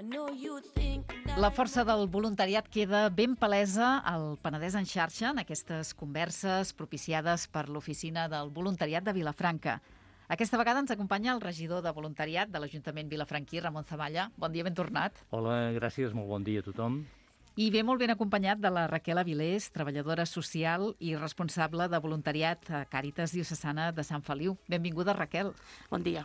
La força del voluntariat queda ben palesa al Penedès en xarxa en aquestes converses propiciades per l'Oficina del Voluntariat de Vilafranca. Aquesta vegada ens acompanya el regidor de voluntariat de l'Ajuntament vilafranquí, Ramon Zamalla. Bon dia, ben tornat. Hola, gràcies, molt bon dia a tothom. I ve molt ben acompanyat de la Raquel Avilés, treballadora social i responsable de voluntariat a Càritas Diocesana de Sant Feliu. Benvinguda, Raquel. Bon dia.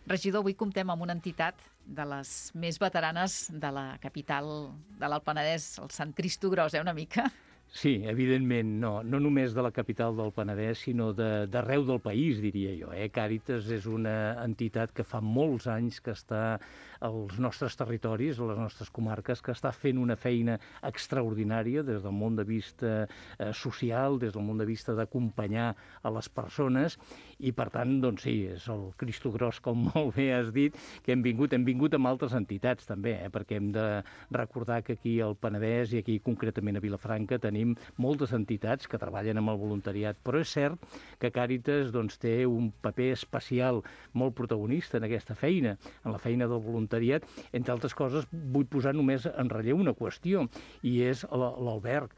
Regidor, avui comptem amb una entitat de les més veteranes de la capital de l'Alt Penedès, el Sant Cristo Gros, una mica. Sí, evidentment, no només de la capital del Penedès, sinó d'arreu del país, diria jo. Càritas és una entitat que fa molts anys que està als nostres territoris, a les nostres comarques, que està fent una feina extraordinària des del món de vista social, des del món de vista d'acompanyar a les persones, i per tant, doncs sí, és el Cristo Gros, com molt bé has dit, que hem vingut amb altres entitats també, perquè hem de recordar que aquí al Penedès i aquí concretament a Vilafranca tenim moltes entitats que treballen amb el voluntariat, però és cert que Càritas té un paper especial molt protagonista en aquesta feina, en la feina del voluntariat. Entre altres coses, vull posar només en relleu una qüestió, i és l'alberg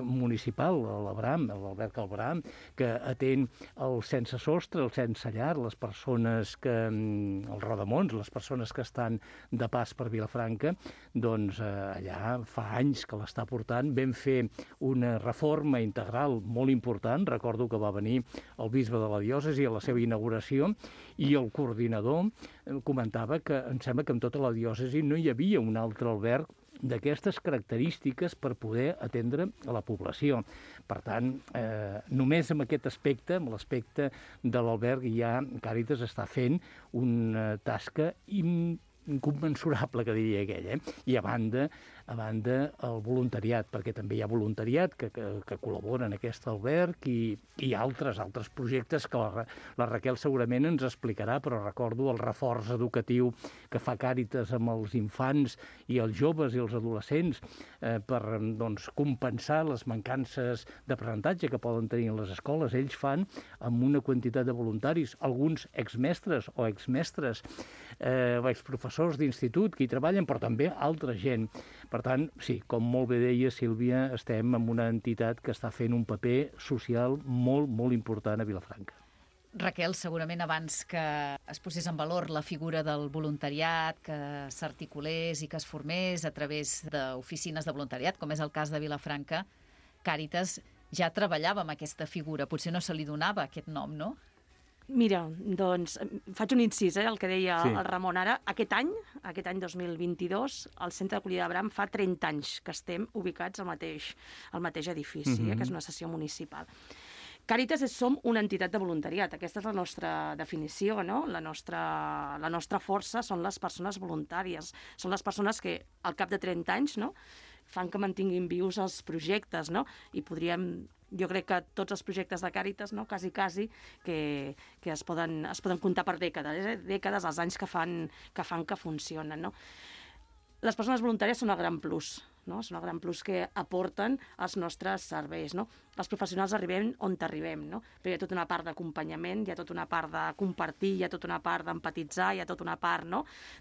municipal, l'alberg Albram, que atén el sense sostre, el sense llar, les persones els rodamons, les persones que estan de pas per Vilafranca, doncs allà fa anys que l'està portant. Vam fer una reforma integral molt important, recordo que va venir el bisbe de la diòcesi a la seva inauguració, i el coordinador comentava que em sembla que en tota la diòcesi no hi havia un altre alberg d'aquestes característiques per poder atendre a la població. Per tant, només amb aquest aspecte, amb l'aspecte de l'alberg, ja Càritas està fent una tasca incommensurable, que diria aquell. I a banda el voluntariat, perquè també hi ha voluntariat que col·labora en aquest alberg, i altres projectes que la Raquel segurament ens explicarà, però recordo el reforç educatiu que fa Càritas amb els infants i els joves i els adolescents per compensar les mancances d'aprenentatge que poden tenir en les escoles. Ells fan amb una quantitat de voluntaris, alguns exmestres o exmestres, exprofessors d'institut que hi treballen, però també altra gent. Per tant, sí, com molt bé deia Sílvia, estem en una entitat que està fent un paper social molt, molt important a Vilafranca. Raquel, segurament abans que es posés en valor la figura del voluntariat, que s'articulés i que es formés a través d'oficines de voluntariat, com és el cas de Vilafranca, Càritas ja treballava amb aquesta figura. Potser no se li donava aquest nom, no? Mira, doncs, faig un incís, el que deia el Ramon ara. Aquest any 2022, el Centre d'Acollida Albram fa 30 anys que estem ubicats al mateix edifici, que és una sessió municipal. Càritas som una entitat de voluntariat, aquesta és la nostra definició, no? La nostra força són les persones voluntàries, són les persones que al cap de 30 anys fan que mantinguin vius els projectes, i jo crec que tots els projectes de Càritas, quasi, que es poden comptar per dècades, els anys que fan que funcionen, no? Les persones voluntàries són el gran plus, són el gran plus que aporten els nostres serveis, no? Els professionals arribem on arribem, però hi ha tota una part d'acompanyament, hi ha tota una part de compartir, hi ha tota una part d'empatitzar, hi ha tota una part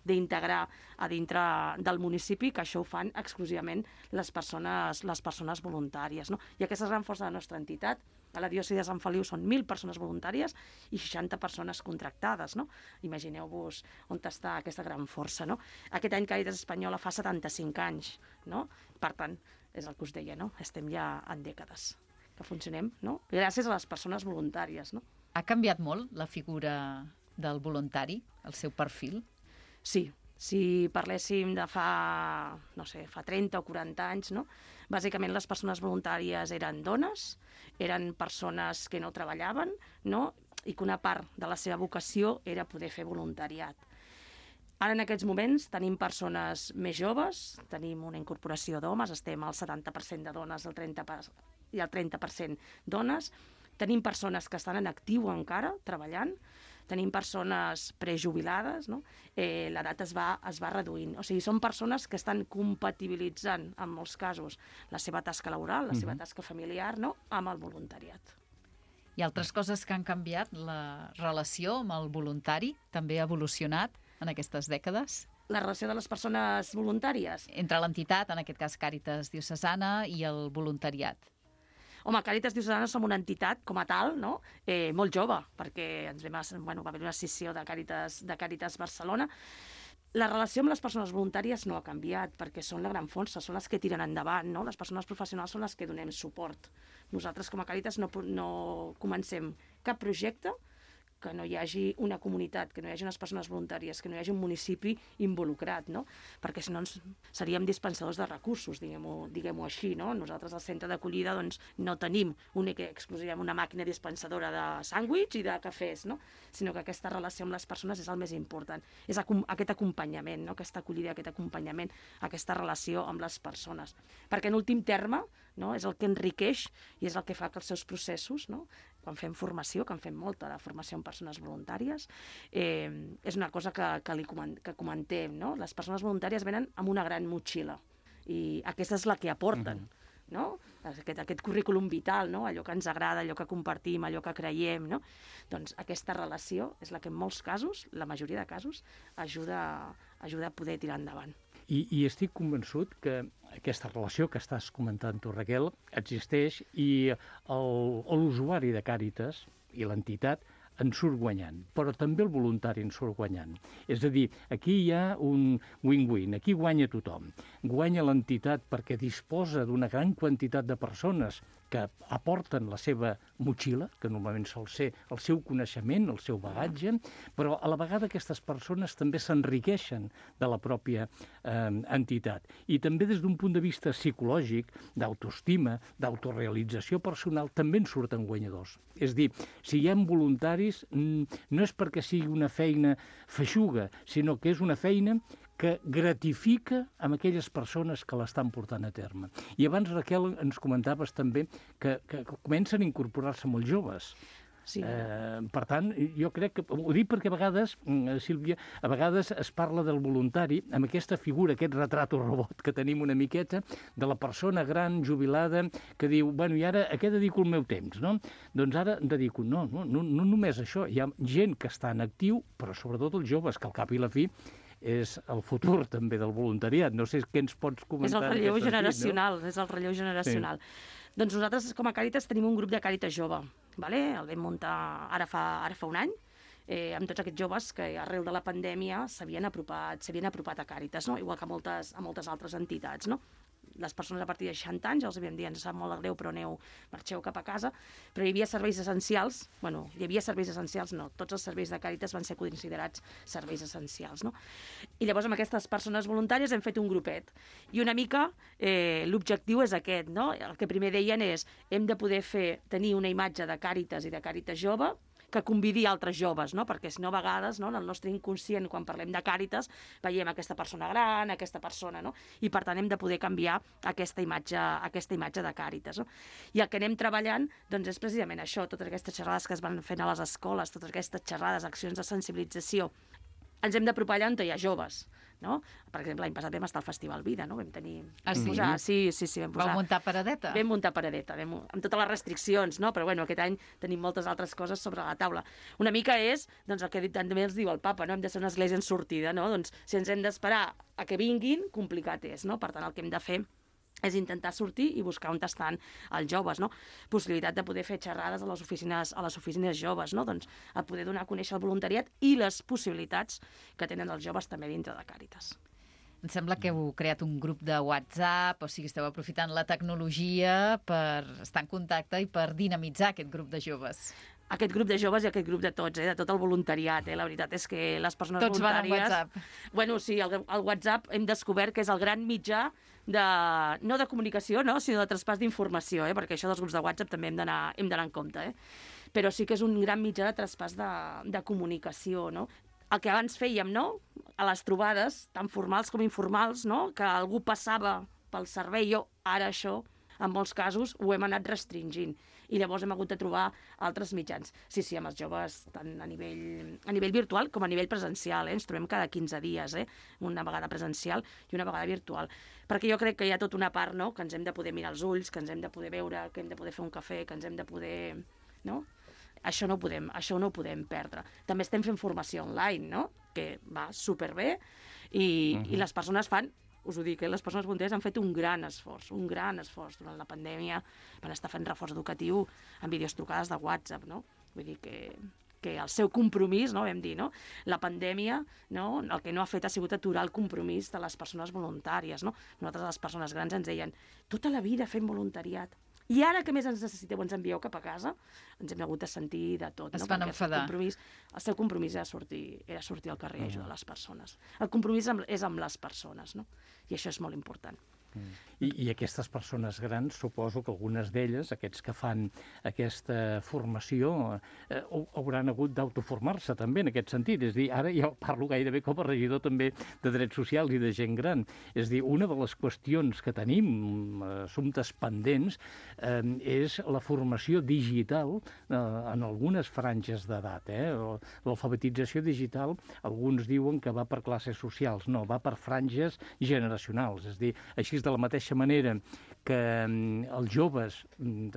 d'integrar a dintre del municipi, que això ho fan exclusivament les persones voluntàries, no? I aquesta és la gran força de la nostra entitat. A la diòcesi de Sant Feliu són 1.000 persones voluntàries i 60 persones contractades, no? Imagineu-vos on està aquesta gran força, no? Aquest any Càritas Espanyola fa 75 anys, no? Per tant, és el que us deia, no? Estem ja en dècades que funcionem, no? Gràcies a les persones voluntàries, no? Ha canviat molt la figura del voluntari, el seu perfil? Sí. Si parléssim de fa 30 o 40 anys, bàsicament les persones voluntàries eren dones, eren persones que no treballaven, i que una part de la seva vocació era poder fer voluntariat. Ara, en aquests moments, tenim persones més joves, tenim una incorporació d'homes, estem al 70% de dones i el 30% dones, tenim persones que estan en actiu encara, treballant, tenim persones prejubilades, l'edat es va reduint. O sigui, són persones que estan compatibilitzant, en molts casos, la seva tasca laboral, la seva tasca familiar, amb el voluntariat. I altres coses que han canviat, la relació amb el voluntari també ha evolucionat en aquestes dècades? La relació de les persones voluntàries? Entre l'entitat, en aquest cas Càritas Diocesana, i el voluntariat. Home, Càritas Diocesana som una entitat, com a tal, no? Molt jove, perquè va haver una escissió de Càritas Barcelona. La relació amb les persones voluntàries no ha canviat, perquè són la gran força, són les que tiren endavant, no? Les persones professionals són les que donem suport. Nosaltres, com a Càritas, no comencem cap projecte que no hi hagi una comunitat, que no hi hagi unes persones voluntàries, que no hi hagi un municipi involucrat, no? Perquè si no seríem dispensadors de recursos, diguem-ho així, no? Nosaltres al centre d'acollida doncs, no tenim única i exclusivament una màquina dispensadora de sàndwich i de cafès, no? Sinó que aquesta relació amb les persones és el més important. És aquest acompanyament, no? Aquesta acollida, aquest acompanyament, aquesta relació amb les persones. Perquè en últim terme, no? És el que enriqueix i és el que fa que els seus processos, no? Quan fem formació, que en fem molta de formació amb persones voluntàries, és una cosa que comentem, no? Les persones voluntàries venen amb una gran motxilla i aquesta és la que aporten, no? Aquest currículum vital, no? Allò que ens agrada, allò que compartim, allò que creiem, no? Doncs aquesta relació és la que en molts casos, la majoria de casos, ajuda a poder tirar endavant. I estic convençut que aquesta relació que estàs comentant tu, Raquel, existeix i l'usuari de Càritas i l'entitat en surt guanyant, però també el voluntari en surt guanyant. És a dir, aquí hi ha un win-win, aquí guanya tothom. Guanya l'entitat perquè disposa d'una gran quantitat de persones que aporten la seva motxilla, que normalment sol ser el seu coneixement, el seu bagatge, però a la vegada aquestes persones també s'enriqueixen de la pròpia entitat. I també des d'un punt de vista psicològic, d'autoestima, d'autorealització personal, també en surten guanyadors. És a dir, si hi ha voluntaris, no és perquè sigui una feina feixuga, sinó que és una feina que gratifica amb aquelles persones que l'estan portant a terme. I abans, Raquel, ens comentaves també que comencen a incorporar-se molt joves. Sí. Per tant, jo crec que... Ho dic perquè a vegades, Sílvia, a vegades es parla del voluntari amb aquesta figura, aquest retrato robot que tenim una miqueta, de la persona gran, jubilada, que diu, bueno, i ara a què dedico el meu temps, no? Doncs ara dedico... No només això. Hi ha gent que està en actiu, però sobretot els joves, que al cap i la fi és el futur també del voluntariat. No sé què ens pots comentar. És el relleu generacional, és el relleu generacional. Doncs nosaltres, com a Càritas, tenim un grup de Càritas jove. El vam muntar ara fa un any, amb tots aquests joves que arrel de la pandèmia s'havien apropat a Càritas, no? Igual que a moltes altres entitats, no? Les persones a partir de 60 anys, els havíem dit, ens sap molt de greu, però marxeu cap a casa, però hi havia serveis essencials, tots els serveis de Càritas van ser considerats serveis essencials, no? I llavors amb aquestes persones voluntàries hem fet un grupet, i una mica l'objectiu és aquest, no? El que primer deien és, hem de poder tenir una imatge de Càritas i de Càritas jove, que convidi altres joves, no? Perquè si no, a vegades, no, en el nostre inconscient, quan parlem de Càritas, veiem aquesta persona gran, aquesta persona, no? I per tant hem de poder canviar aquesta imatge de Càritas, no? I el que anem treballant, doncs, és precisament això, totes aquestes xerrades que es van fent a les escoles, totes aquestes xerrades, accions de sensibilització. Ens hem d'apropar allà on hi ha joves, no? Per exemple, l'any passat vam estar al Festival Vida, no? Vam tenir... Sí? Sí, vam posar... Vau muntar paradeta? Vam muntar paradeta, amb totes les restriccions, no? Però bueno, aquest any tenim moltes altres coses sobre la taula. Una mica és, doncs, el que també els diu el papa, no? Hem de ser una església en sortida, no? Doncs, si ens hem d'esperar a que vinguin, complicat és, no? Per tant, el que hem de fer és intentar sortir i buscar on estan els joves, no? Possibilitat de poder fer xerrades a les oficines joves, no? Doncs a poder donar a conèixer el voluntariat i les possibilitats que tenen els joves també dintre de Càritas. Em sembla que heu creat un grup de WhatsApp, o sigui, esteu aprofitant la tecnologia per estar en contacte i per dinamitzar aquest grup de joves. Aquest grup de joves i aquest grup de tots, de tot el voluntariat. La veritat és que les persones tots voluntàries... Tots van amb WhatsApp. Bueno, sí, el WhatsApp hem descobert que és el gran mitjà no de comunicació, no, sinó de traspàs d'informació, perquè això dels grups de WhatsApp també hem d'anar en compte. Però sí que és un gran mitjà de traspàs de comunicació, no? El que abans fèiem, no?, a les trobades, tant formals com informals, no?, que algú passava pel servei, ara això, en molts casos, ho hem anat restringint. I llavors hem hagut de trobar altres mitjans. Sí, amb els joves, tant a nivell virtual com a nivell presencial. Ens trobem cada 15 dies, una vegada presencial i una vegada virtual. Perquè jo crec que hi ha tota una part, no?, que ens hem de poder mirar els ulls, que ens hem de poder veure, que hem de poder fer un cafè, que ens hem de poder... no? Això no ho podem perdre. També estem fent formació online, no? que va superbé, i les persones fan, us ho dic, les persones voluntàries han fet un gran esforç durant la pandèmia, van estar fent reforç educatiu amb videotrucades de WhatsApp, no? Vull dir que el seu compromís, no, vam dir, no? La pandèmia, no, el que no ha fet ha sigut aturar el compromís de les persones voluntàries, no? Nosaltres, les persones grans, ens deien tota la vida fent voluntariat. I ara que més ens necessiteu, ens envieu cap a casa, ens hem hagut de sentir de tot. Es van enfadar. El seu compromís era sortir al carrer i ajudar les persones. El compromís és amb les persones, no? I això és molt important. I aquestes persones grans, suposo que algunes d'elles, aquests que fan aquesta formació, hauran hagut d'autoformar-se també en aquest sentit. És a dir, ara jo parlo gairebé com a regidor també de drets socials i de gent gran. És a dir, una de les qüestions que tenim, assumptes pendents, és la formació digital en algunes franges d'edat. L'alfabetització digital, alguns diuen que va per classes socials. No, va per franges generacionals. És a dir, així de la mateixa manera que els joves,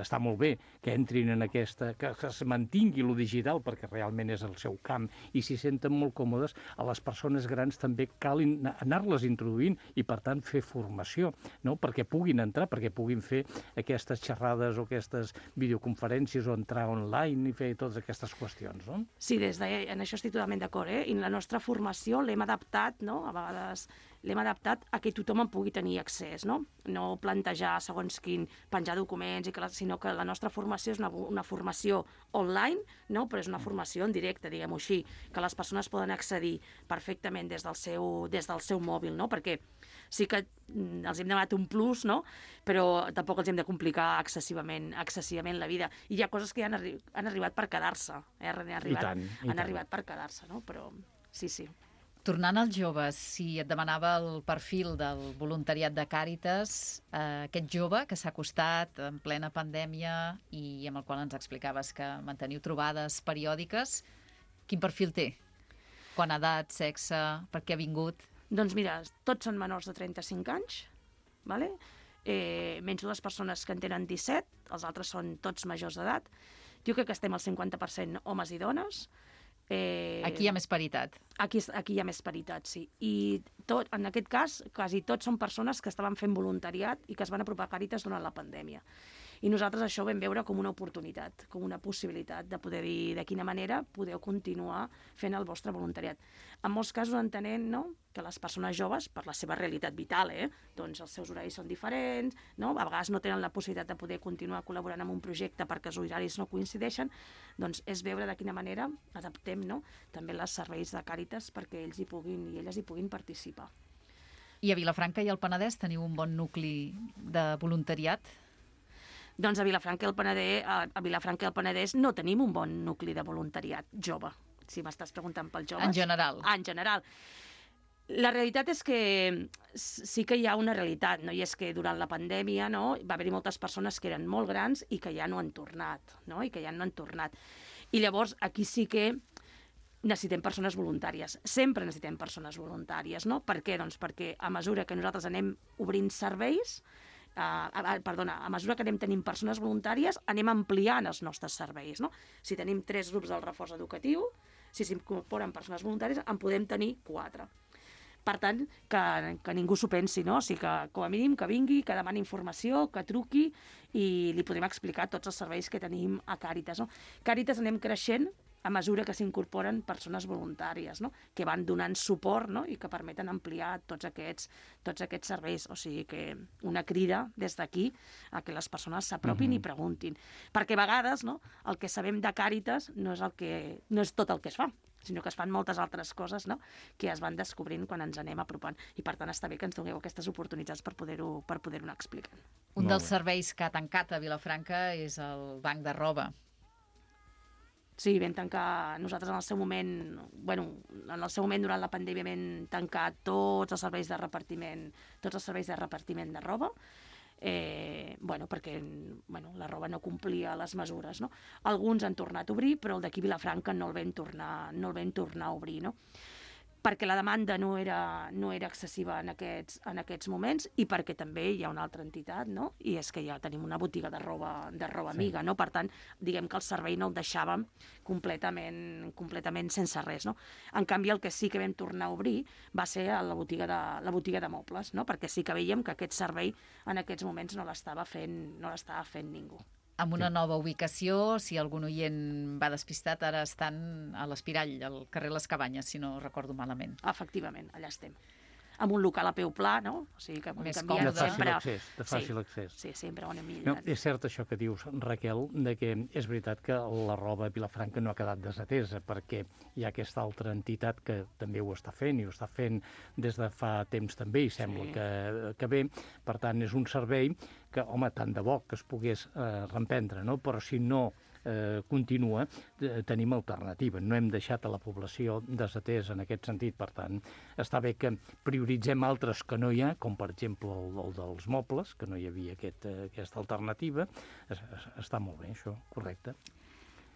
està molt bé que entrin en aquesta, que es mantingui lo digital perquè realment és el seu camp i s'hi senten molt còmodes, a les persones grans també cal anar-les introduint i per tant fer formació, no? Perquè puguin entrar, perquè puguin fer aquestes xerrades o aquestes videoconferències o entrar online i fer totes aquestes qüestions, no? Sí, en això estic totalment d'acord, I la nostra formació l'hem adaptat, no? A vegades l'hem adaptat a que tothom en pugui tenir accés, no? No plantejar segons quin, penjar documents, sinó que la nostra formació és una formació online, no? Però és una formació en directe, diguem-ho així, que les persones poden accedir perfectament des del seu mòbil, no? Perquè sí que els hem demanat un plus, no? Però tampoc els hem de complicar excessivament la vida. I hi ha coses que han arribat per quedar-se, han arribat per quedar-se, no? Però sí. Tornant als joves, si et demanava el perfil del voluntariat de Càritas, aquest jove que s'ha acostat en plena pandèmia i amb el qual ens explicaves que manteniu trobades periòdiques, quin perfil té? Quant edat, sexe, per què ha vingut? Doncs mira, tots són menors de 35 anys, vale? Menys dues persones que en tenen 17, els altres són tots majors d'edat. Jo crec que estem al 50% homes i dones. Aquí hi ha més paritat. Aquí hi ha més paritat, sí. I en aquest cas, quasi tots són persones que estaven fent voluntariat i que es van apropar a Càritas durant la pandèmia. I nosaltres això ho vam veure com una oportunitat, com una possibilitat de poder dir de quina manera podeu continuar fent el vostre voluntariat. En molts casos entenent, no?, que les persones joves, per la seva realitat vital, doncs els seus horaris són diferents, no? A vegades no tenen la possibilitat de poder continuar col·laborant en un projecte perquè els horaris no coincideixen, doncs és veure de quina manera adaptem, no?, també els serveis de Càritas perquè ells i elles hi puguin participar. I a Vilafranca i al Penedès teniu un bon nucli de voluntariat? Doncs a Vilafranca i al Penedès no tenim un bon nucli de voluntariat jove, si m'estàs preguntant pels joves. En general. En general. La realitat és que sí que hi ha una realitat, no? I és que durant la pandèmia, no, va haver-hi moltes persones que eren molt grans i que ja no han tornat, no? I llavors aquí sí que necessitem persones voluntàries. Sempre necessitem persones voluntàries, no? Per què? Doncs perquè a mesura que nosaltres anem obrint serveis, a mesura que anem tenint persones voluntàries, anem ampliant els nostres serveis, no? Si tenim 3 grups del reforç educatiu, si s'incorporen persones voluntàries, en podem tenir 4. Per tant, que ningú s'ho pensi, no? O sigui que, com a mínim, que vingui, que demani informació, que truqui i li podem explicar tots els serveis que tenim a Càritas, no? Càritas anem creixent a mesura que s'incorporen persones voluntàries, no?, que van donant suport, no?, i que permeten ampliar tots aquests serveis. O sigui que una crida des d'aquí a que les persones s'apropin i preguntin. Perquè a vegades, no?, el que sabem de Càritas no és tot el que es fa, sinó que es fan moltes altres coses, no?, que es van descobrint quan ens anem apropant. I per tant està bé que ens doneu aquestes oportunitats per poder-ho anar explicant. Un dels serveis que ha tancat a Vilafranca és el banc de roba. Sí, vam tancar, nosaltres en el seu moment durant la pandèmia vam tancar tots els serveis de repartiment de roba, perquè la roba no complia les mesures, no? Alguns han tornat a obrir, però el d'aquí Vilafranca no el vam tornar a obrir, no? perquè la demanda no era excessiva en aquests moments i perquè també hi ha una altra entitat, no? I és que ja tenim una botiga de roba amiga, no? Per tant, diguem que el servei no el deixàvem completament sense res, no? En canvi, el que sí que vam tornar a obrir va ser la botiga de mobles, no? Perquè sí que veiem que aquest servei en aquests moments no l'estava fent ningú. Amb una nova ubicació, si algun oient va despistat, ara estan a l'Espirall, al carrer Les Cabanyes, si no recordo malament. Efectivament, allà estem. Amb un local a peu pla, no? O sigui que més còmode. De fàcil accés. Sí, sempre ho anem No, millorant. és cert això que dius, Raquel, de que és veritat que la roba a Vilafranca no ha quedat desatesa, perquè hi ha aquesta altra entitat que també ho està fent, i ho està fent des de fa temps també, i sembla que bé. Per tant, és un servei que, home, tant de bo que es pogués reemprendre, no? Però si no continua, tenim alternativa. No hem deixat a la població desatesa en aquest sentit. Per tant, està bé que prioritzem altres que no hi ha, com per exemple el dels mobles, que no hi havia aquesta alternativa. Està molt bé, això, correcte.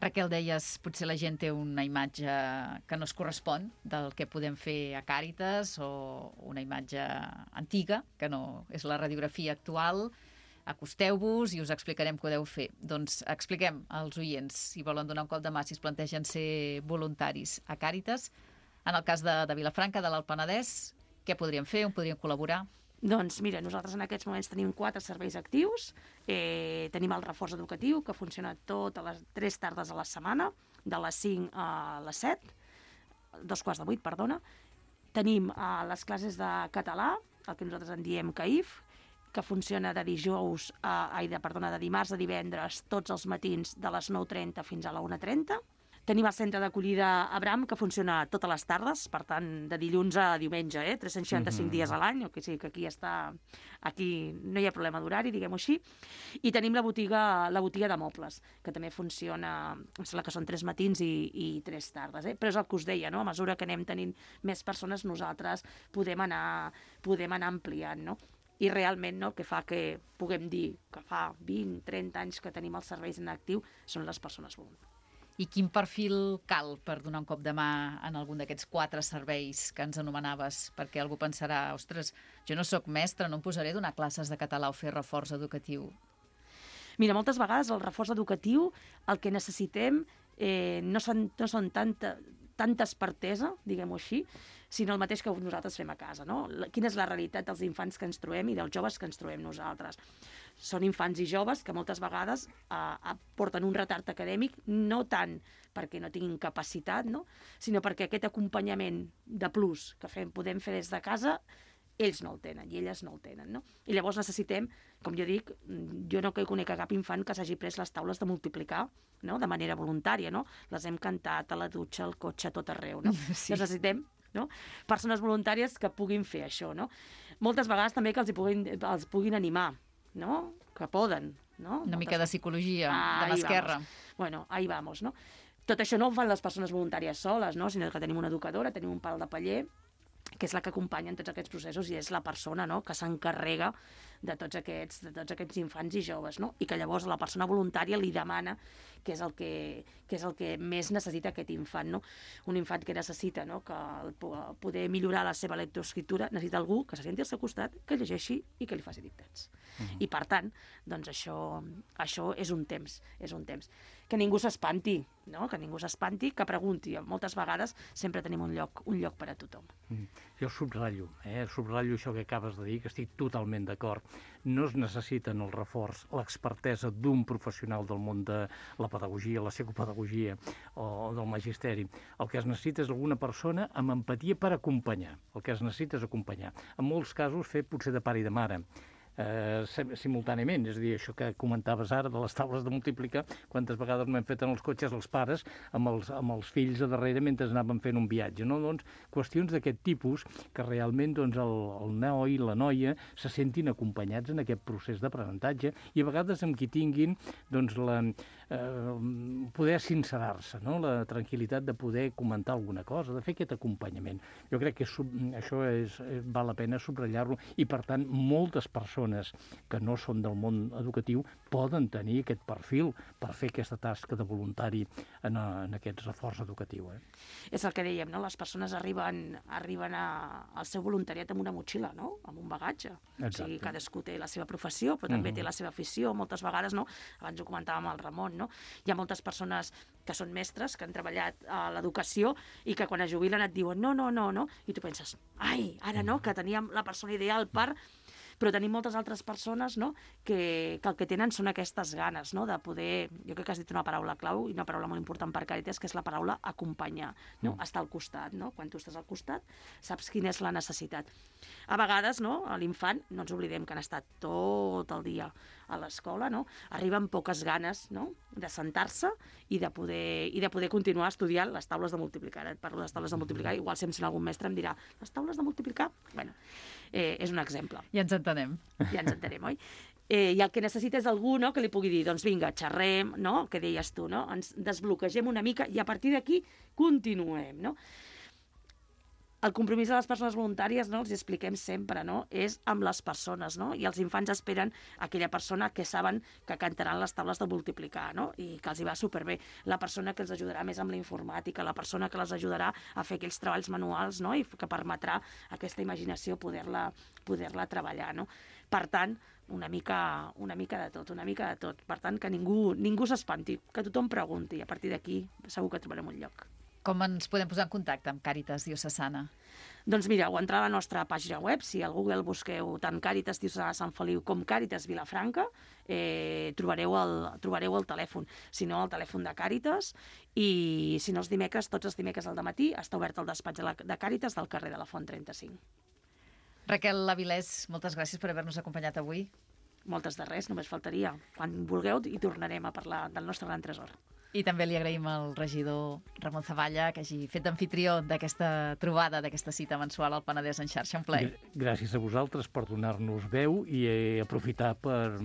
Raquel, deies, potser la gent té una imatge que no es correspon del que podem fer a Càritas, o una imatge antiga, que no és la radiografia actual. Acosteu-vos i us explicarem què podeu fer. Doncs expliquem als oients, si volen donar un cop de mà, si es plantegen ser voluntaris a Càritas. En el cas de Vilafranca, de l'Alt Penedès, què podríem fer, on podríem col·laborar? Doncs mira, nosaltres en aquests moments tenim 4 serveis actius. Tenim el reforç educatiu, que funciona totes les 3 tardes a la setmana, de les 5 a les 7, 7:45, perdona. Tenim les classes de català, el que nosaltres en diem CAIF, que funciona de dimarts a divendres, tots els matins, de les 9:30 fins a la 1:30. Tenim el centre d'acollida Abram, que funciona totes les tardes, per tant, de dilluns a diumenge, 365 dies a l'any, o que sí, que aquí no hi ha problema d'horari, diguem-ho així. I tenim la botiga de mobles, que també funciona, em sembla que són 3 matins i 3 tardes. Però és el que us deia, no? A mesura que anem tenint més persones, nosaltres podem anar ampliant, no? I realment, no, el que fa que puguem dir que fa 20-30 anys que tenim els serveis en actiu són les persones voluntàries. I quin perfil cal per donar un cop de mà en algun d'aquests 4 serveis que ens anomenaves? Perquè algú pensarà, ostres, jo no sóc mestre, no em posaré a donar classes de català o fer reforç educatiu. Mira, moltes vegades el reforç educatiu el que necessitem no són tanta expertesa, diguem-ho així, sinó el mateix que nosaltres fem a casa, no? Quina és la realitat dels infants que ens trobem i dels joves que ens trobem nosaltres? Són infants i joves que moltes vegades porten un retard acadèmic, no tant perquè no tinguin capacitat, no? Sinó perquè aquest acompanyament de plus que podem fer des de casa, ells no el tenen i elles no el tenen, no? I llavors necessitem, com jo dic, jo no conec cap infant que s'hagi pres les taules de multiplicar, no? De manera voluntària, no? Les hem cantat a la dutxa, al cotxe, a tot arreu, no? Sí. Necessitem, no? Persones voluntàries que puguin fer això, no? Moltes vegades també que els puguin animar, no? Que poden, no? Una mica de psicologia, de mà esquerra. Bueno, ahí vamos, no? Tot això no ho fan les persones voluntàries soles, no? Sinó que tenim una educadora, tenim un pal de paller, que és la que acompanya en tots aquests processos i és la persona, no?, que s'encarrega de tots aquests infants i joves, no? I que llavors la persona voluntària li demana què és el que més necessita aquest infant, no? Un infant que necessita, no?, que poder millorar la seva lectoescriptura, necessita algú que se senti al seu costat, que llegeixi i que li faci dictats. I per tant, doncs això és un temps. Que ningú s'espanti, no?, que pregunti. Moltes vegades sempre tenim un lloc per a tothom. Jo subratllo això que acabes de dir, que estic totalment d'acord. No es necessita en el reforç l'expertesa d'un professional del món de la pedagogia, la psicopedagogia o del magisteri. El que es necessita és alguna persona amb empatia per acompanyar. El que es necessita és acompanyar. En molts casos fer potser de pare i de mare, simultàniament, és a dir, això que comentaves ara de les taules de multiplicar, quantes vegades no hem fet en els cotxes els pares amb els fills a darrere mentre anaven fent un viatge, no? Doncs qüestions d'aquest tipus que realment doncs, el noi i la noia se sentin acompanyats en aquest procés d'aprenentatge i a vegades amb qui tinguin doncs, poder sincerar-se, no? La tranquil·litat de poder comentar alguna cosa, de fer aquest acompanyament. Jo crec que això val la pena subratllar-lo i, per tant, moltes persones persones que no són del món educatiu poden tenir aquest perfil per fer aquesta tasca de voluntari en aquest reforç educatiu. És el que dèiem, no? Les persones arriben al seu voluntariat amb una motxilla, no? Amb un bagatge. Exacte. O sigui, cadascú té la seva professió, però també té la seva afició. Moltes vegades, no? Abans ho comentàvem el Ramon, no? Hi ha moltes persones que són mestres, que han treballat a l'educació i que quan es jubilen et diuen no, i tu penses, ai, ara no, que teníem la persona ideal per... Però tenim moltes altres persones, no?, que el que tenen són aquestes ganes, no?, de poder... Jo crec que has dit una paraula clau i una paraula molt important per Càritas, que és la paraula acompanyar, no? Estar al costat, no? Quan tu estàs al costat, saps quina és la necessitat. A vegades, no?, a l'infant, no ens oblidem que han estat tot el dia a l'escola, no?, arriben poques ganes, no?, de sentar-se i de poder continuar estudiant les taules de multiplicar. Et parlo de les taules de multiplicar, igual si em sent algun mestre em dirà, les taules de multiplicar? Bueno, és un exemple. Ja ens entenem. Ja ens entenem, oi? I el que necessita és algú, no?, que li pugui dir, doncs vinga, xerrem, no?, que deies tu, no?, ens desbloquegem una mica i a partir d'aquí continuem, no? El compromís de les persones voluntàries, no?, els expliquem sempre, no?, és amb les persones, no?, i els infants esperen aquella persona que saben que cantaran les taules de multiplicar, no?, i que els hi va superbé. La persona que els ajudarà més amb la informàtica, la persona que les ajudarà a fer aquells treballs manuals, no?, i que permetrà a aquesta imaginació poder-la treballar, no? Per tant, una mica de tot. Per tant, que ningú s'espanti, que tothom pregunti, i a partir d'aquí segur que trobarem un lloc. Com ens podem posar en contacte amb Càritas Diocesana? Doncs mireu, entrar a la nostra pàgina web, si al Google busqueu tant Càritas Diocesana Sant Feliu com Càritas Vilafranca, trobareu el telèfon. Si no, el telèfon de Càritas, i si no, tots els dimecres al dematí està obert el despatx de Càritas del carrer de la Font 35. Raquel Avilés, moltes gràcies per haver-nos acompanyat avui. Moltes de res, només faltaria. Quan vulgueu hi tornarem a parlar del nostre gran tresor. I també li agraïm al regidor Ramon Zavalla que hagi fet d'amfitrió d'aquesta trobada, d'aquesta cita mensual al Penedès en xarxa. Un plaer. Gràcies a vosaltres per donar-nos veu i aprofitar per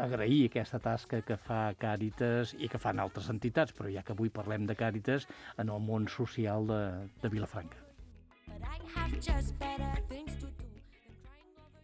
agrair aquesta tasca que fa Càritas i que fan altres entitats, però ja que avui parlem de Càritas en el món social de Vilafranca.